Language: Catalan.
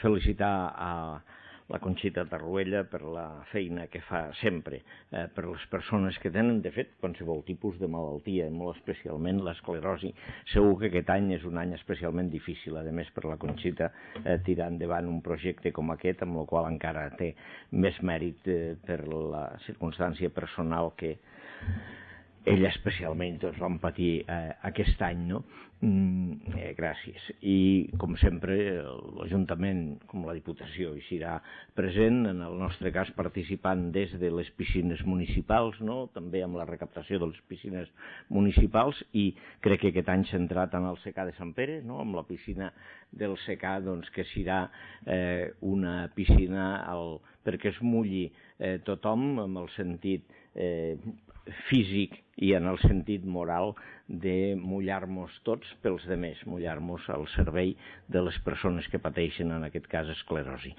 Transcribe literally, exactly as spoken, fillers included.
felicitar a la Conxita Tarruella per la feina que fa sempre eh, per les persones que tenen, de fet, qualsevol tipus de malaltia, molt especialment l'esclerosi. Segur que aquest any és un any especialment difícil, a més, per la Conxita eh, tirar endavant un projecte com aquest, amb el qual encara té més mèrit eh, per la circumstància personal que ella especialment doncs, van patir eh, aquest any, no? Mm, eh, gràcies. I, com sempre, l'Ajuntament, com la Diputació, hi serà present, en el nostre cas participant des de les piscines municipals, no? També amb la recaptació de les piscines municipals, i crec que aquest any centrat en el secà de Sant Pere, no? Amb la piscina del secà, doncs, que serà eh, una piscina al, perquè es mulli eh, tothom, amb el sentit eh, físic i en el sentit moral de mullar-nos tots pels demés, mullar-nos al servei de les persones que pateixen, en aquest cas, esclerosi.